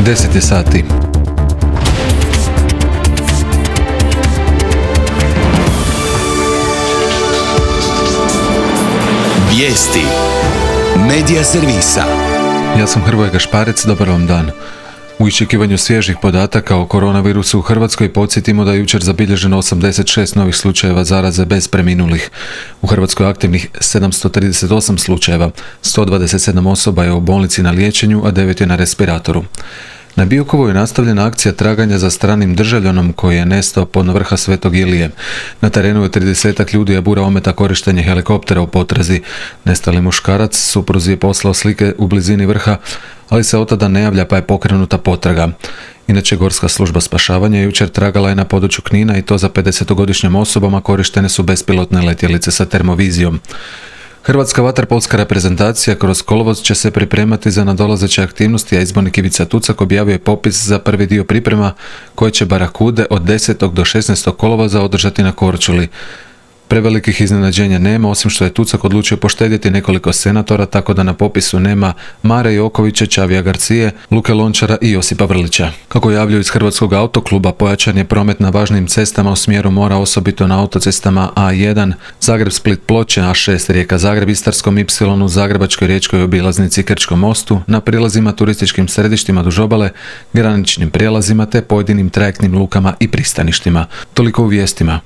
10 je sati. Vijesti Medija servisa. Ja sam Hrvoje Gašparec, dobar vam dan. U iščekivanju svježih podataka o koronavirusu u Hrvatskoj podsjetimo da je jučer zabilježeno 86 novih slučajeva zaraze bez preminulih. U Hrvatskoj aktivnih 738 slučajeva, 127 osoba je u bolnici na liječenju, a 9 je na respiratoru. Na Biokovu je nastavljena akcija traganja za stranim državljanom koji je nestao pod vrha Svetog Ilije. Na terenu je 30 ljudi, a bura ometa korištenje helikoptera u potrazi. Nestali muškarac supruzi je poslao slike u blizini vrha, ali se od tada ne javlja, pa je pokrenuta potraga. Inače, Gorska služba spašavanja jučer tragala je na području Knina i to za 50-godišnjim osobama korištene su bespilotne letjelice sa termovizijom. Hrvatska vaterpolska reprezentacija kroz kolovoz će se pripremati za nadolazeće aktivnosti, a izbornik Ivica Tucak objavio je popis za prvi dio priprema koje će Barakude od 10. do 16. kolovoza održati na Korčuli. Prevelikih iznenađenja nema, osim što je Tucak odlučio poštedjeti nekoliko senatora, tako da na popisu nema Mare Jokovića, Čavija Garcije, Luke Lončara i Josipa Vrlića. Kako javljaju iz Hrvatskog autokluba, pojačan je promet na važnim cestama u smjeru mora, osobito na autocestama A1, Zagreb-Split-Ploče, A6 Rijeka-Zagreb, Istarskom Y, Zagrebačkoj riječkoj obilaznici, Krčkom mostu, na prilazima turističkim središtima duž obale, graničnim prijelazima te pojedinim trajektnim lukama i pristaništima. Toliko u vijestima.